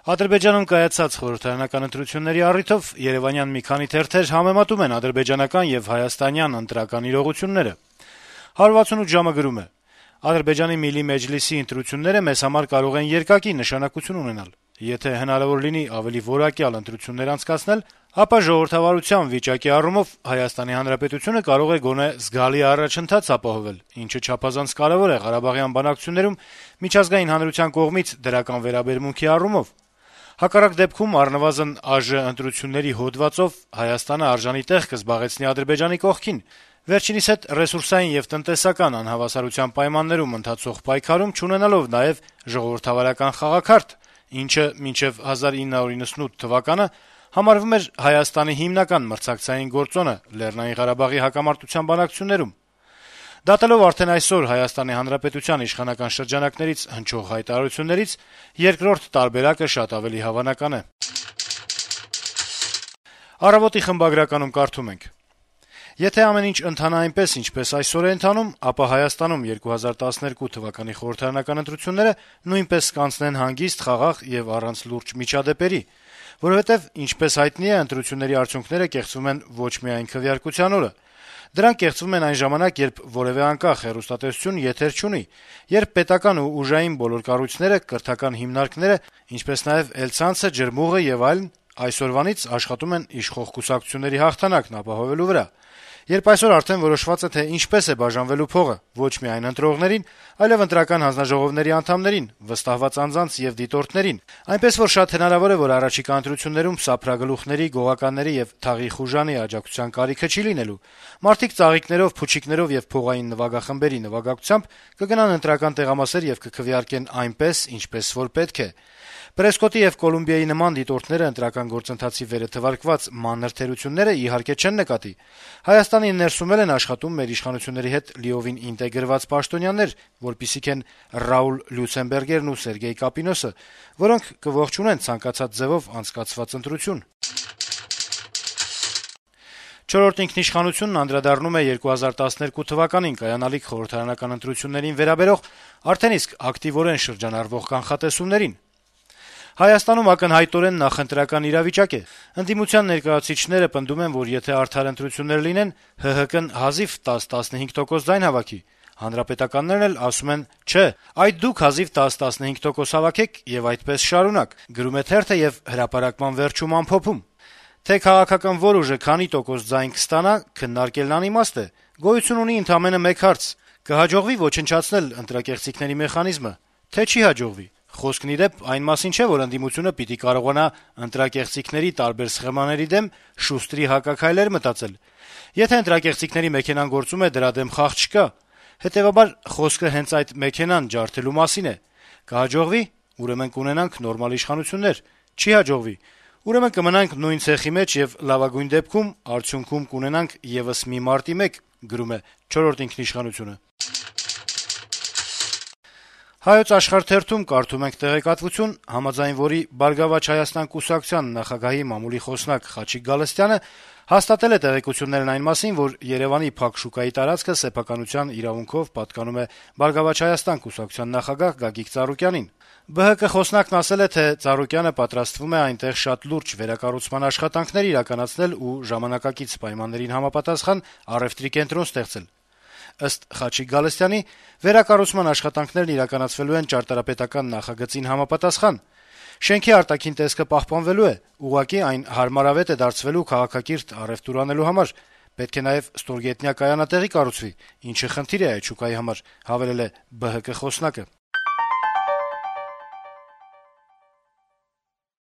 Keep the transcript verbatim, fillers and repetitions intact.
Ադրբեջանում կայացած խորհրդարանական ընտրությունների առիթով երեւանյան մի քանի թերթեր համեմատում են ադրբեջանական եւ հայաստանյան ընտրական իրողությունները։ one sixty-eight ժամը գրում է. - «Ադրբեջանի Միլի Մեջլիսի ընտրությունները մեզ համար կարող են երկակի նշանակություն ունենալ։ Եթե հնարավոր լինի ավելի որակյալ ընտրություններ անցկացնել, ապա ժողովրդավարության վիճակի առումով Հայաստանի Հանրապետությունը կարող է գոնե զգալի առաջընթաց ապահովել, ինչը չափազանց կարեւոր է Ղարաբաղյան բանակցություններում միջազգային հանրության կողմից դրական վերաբերմունքի առումով։ Հակառակ դեպքում առնվազն ԱԺ ընտրությունների հոդվածով Հայաստանը արժանի տեղ կզբաղեցնի Ադրբեջանի կողքին, վերջինիս հետ ռեսուրսային եւ տնտեսական անհավասարության պայմաններում ընթացող պայքարում չունենալով նաեւ ժողովրդավարական խաղաքարտ, ինչը մինչեւ nineteen ninety-eight թվականը համարվում էր Հայաստանի հիմնական մրցակցային գործոնը Լեռնային Ղարաբաղի հակամարտության բանակցություններում։ Դատելով արդեն այսօր Հայաստանի Հանրապետության իշխանական շրջանակներից հնչող հայտարարություններից, երկրորդ տարբերակը շատ ավելի հավանական է»։ «Առավոտ»-ի խմբագրականում կարդում ենք. - «Եթե ամեն ինչ ընթանա այնպես, ինչպես այսօր է ընթանում, ապա Հայաստանում twenty twelve թվականի խորհրդարանական ընտրությունները նույնպես կանցնեն հանգիստ, խաղաղ եւ առանց լուրջ միջադեպերի, որովհետեւ, ինչպես հայտնի է, ընտրությունների արդյունքները կեղծվում են ոչ միայն քվեարկության օրը։ Դրանք կեղծվում են այն ժամանակ, երբ որեւէ անկախ հեռուստատեսություն եթեր չունի, երբ պետական ու ուժային բոլոր կառույցները, կրթական հիմնարկները, ինչպես նաեւ էլցանցը, ջրմուղը եւ այլն այսօրվանից աշխատում են իշխող կուսակցությունների հաղթանակն ապահովելու վրա։ Երբ այսօր արդեն որոշված է, թե ինչպես է բաժանվելու փողը ոչ միայն ընտրողներին, այլեւ ընտրական հանձնաժողովների անդամներին, վստահված անձանց եւ դիտորդներին, այնպես որ շատ հնարավոր է, որ առաջիկա ընտրություններում սափրագլուխների, գողականների եւ թաղի խուժանի աջակցության կարիքը չի լինելու, մարդիկ ծաղիկներով, փուչիկներով եւ փողային նվագախմբերի նվագակցությամբ կգնան ընտրական տեղամասեր եւ կքվեարկեն այնպես, ինչպես որ պետք է։ Պրեսկոտի եւ Կոլումբիայի նման դիտորդները ընտրական գործընթացի վերը թվարկված մանր թերությունները իհարկե չեն նկատի։ Հայաստանի ներսում էլ են աշխատում մեր իշխանությունների հետ լիովին ինտեգրված պաշտոնյաներ, որպիսիք են Ռաուլ Լյուցենբերգերն ու Սերգեյ Կապինոսը, որոնք կողջունեն ցանկացած ձևով անցկացված ընտրություն»։ «Չորրորդ ինքնիշխանությունն» անդրադառնում է twenty twelve թվականին կայանալիք խորհրդարանական ընտրություններին վերաբերող արդեն իսկ ակտիվորեն շրջանառվող կանխատեսումներին. «Հայաստանում ակնհայտորեն նախընտրական իրավիճակ է։ Ընդդիմության ներկայացուցիչները պնդում են, որ եթե արդար ընտրություններ լինեն, ՀՀԿ-ն հազիվ ten to fifteen տոկոս ձայն հավաքի։ Հանրապետականներն էլ ասում են՝ չէ, այդ դուք հազիվ ten to fifteen տոկոս հավաքեք եւ այդպես շարունակ», գրում է թերթը եւ հրապարակման վերջում ամփոփում. - «Թե քաղաքական որ ուժը քանի տոկոս ձայն կստանա, քննարկելն անիմաստ է։ Գոյություն ունի ընդամենը մեկ հարց. կհաջողվի ոչնչացնել ընտրակեղծիքների մեխանիզմը, թե չի հաջողվի։ Խոսքն ի դեպ այն մասին չէ, որ ընդդիմությունը պիտի կարողանա ընտրակեղծիքների տարբեր սխեմաների դեմ շուստրի հակաքայլեր մտածել։ Եթե ընտրակեղծիքների մեքենան գործում է, դրա դեմ խաղ չկա։ Հետեւաբար խոսքը հենց այդ մեքենան ջարդելու մասին է։ Կհաջողվի, ուրեմն կունենանք նորմալ իշխանություններ։ Չի հաջողվի, ուրեմն կմնանք նույն ցեխի մեջ եւ լավագույն դեպքում արդյունքում կունենանք եւս մի մարտի մեկ», գրում է «Չորրորդ ինքնիշխանությունը»։ «Հայոց Աշխարհ» թերթում կարդում ենք տեղեկատվություն, համաձայն որի «Բարգավաճ Հայաստան» կուսակցության նախագահի մամուլի խոսնակ Խաչիկ Գալստյանը հաստատել է տեղեկություններն այն մասին, որ Երեւանի փակ շուկայի տարածքը սեփականության իրավունքով պատկանում է «Բարգավաճ Հայաստան» կուսակցության նախագահ Գագիկ Ծառուկյանին։ ԲՀԿ խոսնակն ասել է, թե Ծառուկյանը պատրաստվում է այնտեղ շատ լուրջ վերակառուցման աշխատանքներ իրականացնել ու ժամանակակից պայմաններին համապատասխան առեւտրի կենտրոն ստեղծել։ Ըստ Խաչիկ Գալստյանի, վերակառուցման աշխատանքներն իրականացվելու են ճարտարապետական նախագծին համապատասխան։ Շենքի արտաքին տեսքը պահպանվելու է, ուղղակի այն հարմարավետ է դարձվելու քաղաքակիրթ առեւտուր անելու համար։ Պետք է նաեւ ստորգետնյա կայանատեղի կառուցվի, ինչը խնդիր է այդ շուկայի համար, հավելել է ԲՀԿ խոսնակը։